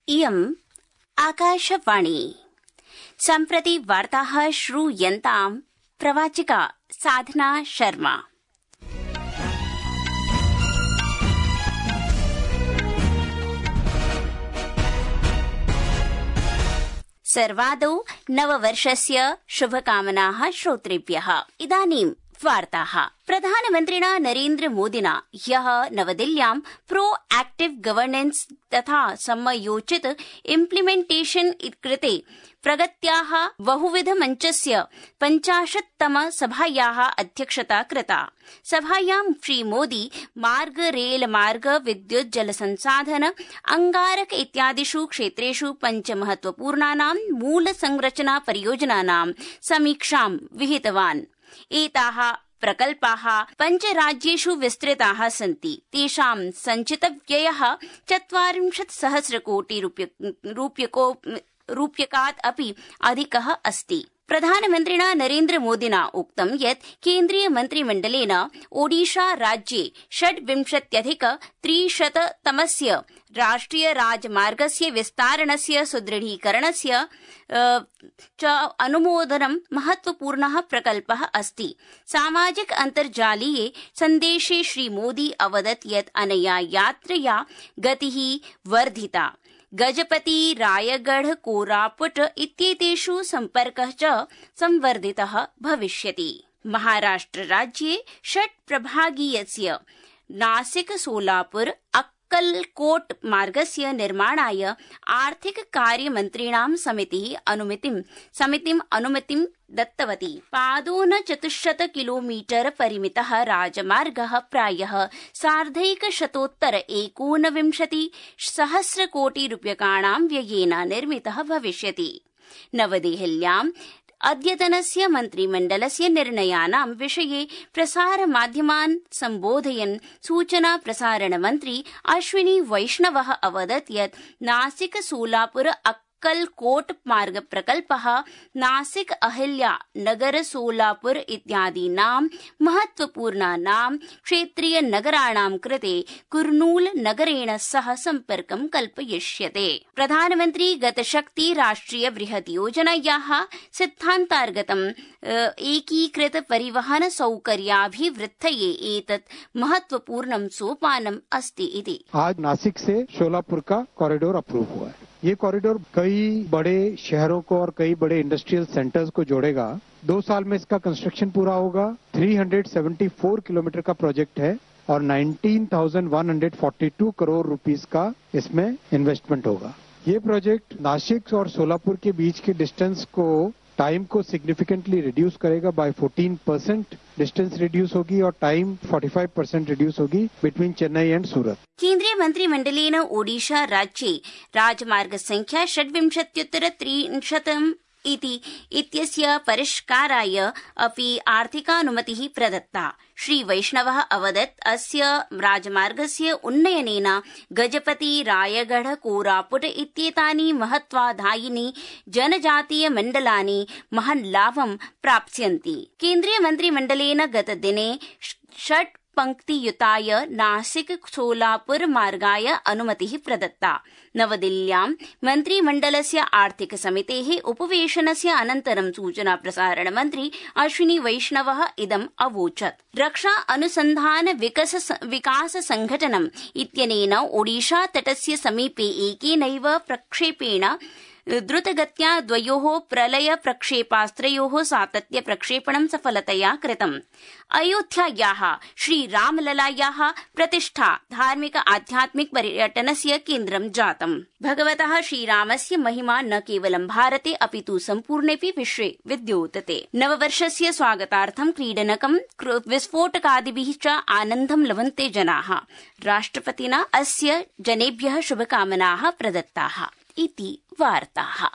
इयम् आकाशवाणी। सम्प्रति वार्ताः श्रूयन्ताम् प्रवाचिका साधना शर्मा। सर्वादौ नववर्षस्य शुभकामनाः श्रोतृभ्यः। इदानीं वार्ताः। प्रधानमन्त्रिणा नरेन्द्र मोदिना ह्यः नवदिल्ल्यां प्रो एक्टिव गवर्नेन्स तथा समयोचित इम्प्लिमेन्टेशन कृते प्रगत्याः बहुविध मञ्चस्य 50तम सभायाः अध्यक्षता कृता। सभायां श्रीमोदी मार्ग, रेल मार्ग, विद्युत्, जलसंसाधन, अंगारक इत्यादिषु क्षेत्रेषु 5 महत्वपूर्णानां मूल संरचना परियोजनानां समीक्षां विहितवान्। एताः प्रकल्पाः 5 राज्येषु विस्तृताः सन्ति। तेषां सञ्चितव्ययः 40 सहस्र कोटि रूप्यकात् अपि अधिकः अस्ति। प्रधानमन्त्रिणा नरेन्द्र मोदिना उक्तं यत् केन्द्रीय मन्त्रिमण्डलेन ओडिशा राज्ये 26,300तमस्य राष्ट्रिय राजमार्गस्य विस्तारणस्य सुदृढीकरणस्य च अनुमोदनं महत्वपूर्णः प्रकल्पः अस्ति। सामाजिक अन्तर्जालीये सन्देशे श्रीमोदी अवदत् यत् अनया यात्रया गतिः वर्धिता। गजपति, रायगढ़, कोरापुट इत्येतेषु सम्पर्कः च संवर्धितः भविष्यति। महाराष्ट्र राज्ये 6 प्रभागीयस्य नासिक, सोलापुर, अक्कलकोट मार्गस्य निर्माणाय आर्थिक कार्यमन्त्रिणां समितिम् अनुमतिं दत्तवती। पादोन 400 किलोमीटर परिमितः राजमार्गः प्रायः 1,129 सहस्र कोटि रूप्यकाणां व्ययेन निर्मितः भविष्यति। नवदेहल्याम् अद्यतनस्य मन्त्रिमण्डलस्य निर्णयानां विषये प्रसारमाध्यमान् सम्बोधयन् सूचना प्रसारण मन्त्री अश्विनी वैष्णवः अवदत् यत् नासिक, सोलापुर, अक्कलकोट मार्ग प्रकल्पः नासिक, अहिल्या नगर, सोलापुर इत्यादीनां महत्वपूर्णानां क्षेत्रीय नगराणां कृते कुर्नूल नगरेण सह सम्पर्कं कल्पयिष्यते। प्रधानमन्त्री गतशक्ति राष्ट्रिय बृहत् योजनायाः सिद्धान्तार्गतं एकीकृत परिवहन सौकर्याभिवृद्धये एतत् महत्वपूर्णं सोपानम् अस्ति इति। आज नासिक से सोलापुर का कॉरिडोर अप्रूव हुआ है। ये कॉरिडोर कई बड़े शहरों को और कई बड़े इंडस्ट्रियल सेंटर्स को जोड़ेगा। 2 साल में इसका कंस्ट्रक्शन पूरा होगा। 374 किलोमीटर का प्रोजेक्ट है और 19,142 करोड़ रुपीस का इसमें इन्वेस्टमेंट होगा। ये प्रोजेक्ट नासिक और सोलापुर के बीच के डिस्टेंस को टाइम को सिग्निफिकेंटली रिड्यूस करेगा। बाय 14% डिस्टेंस रिड्यूस होगी और टाइम 45% रिड्यूस होगी बिटवीन चेन्नई एंड सूरत। केन्द्रीय मन्त्रिमण्डलेन ओडिशा राज्ये राजमार्ग संख्या 26,300 इत्यस्य परिष्काराय अपि आर्थिकानुमतिः प्रदत्ता। श्री वैष्णवः अवदत् अस्य राजमार्गस्य उन्नयनेन गजपति, रायगढ़, कोरापुट इत्येतानि महत्वाधायिनि जनजातीय मण्डलानि महान् लाभं प्राप्स्यन्ति। केन्द्रीय मन्त्रिमण्डलेन गतदिने 6 पंक्तियुताय नासिक, सोलापुर मार्गाय अनुमतिः प्रदत्ता। नवदिल्ल्यां मन्त्रिमण्डलस्य आर्थिक समितेः उपवेशनस्य अनन्तरं सूचना प्रसारण मन्त्री अश्विनी वैष्णवः इदम् अवोचत्। रक्षा अनुसन्धान विकास संघटनम् इत्यनेन ओडिशा तटस्य समीपे एकेनैव प्रक्षेपेण द्रुतगत्या 2 प्रलय प्रक्षेपास्त्रयोः सातत्य प्रक्षेपणं सफलतया कृतम्। अयोध्यायाः श्रीरामललायाः प्रतिष्ठा धार्मिक आध्यात्मिक पर्यटनस्य केन्द्रं जातम्। भगवतः श्रीरामस्य महिमा न केवलं भारते अपितु सम्पूर्णेऽपि विश्वे विद्योतते। नववर्षस्य स्वागतार्थं क्रीडनकं, विस्फोटकादिभिः च आनन्दं लभन्ते जनाः। राष्ट्रपतिना अस्य जनेभ्यः शुभकामनाः प्रदत्ताः इति वार्ताः।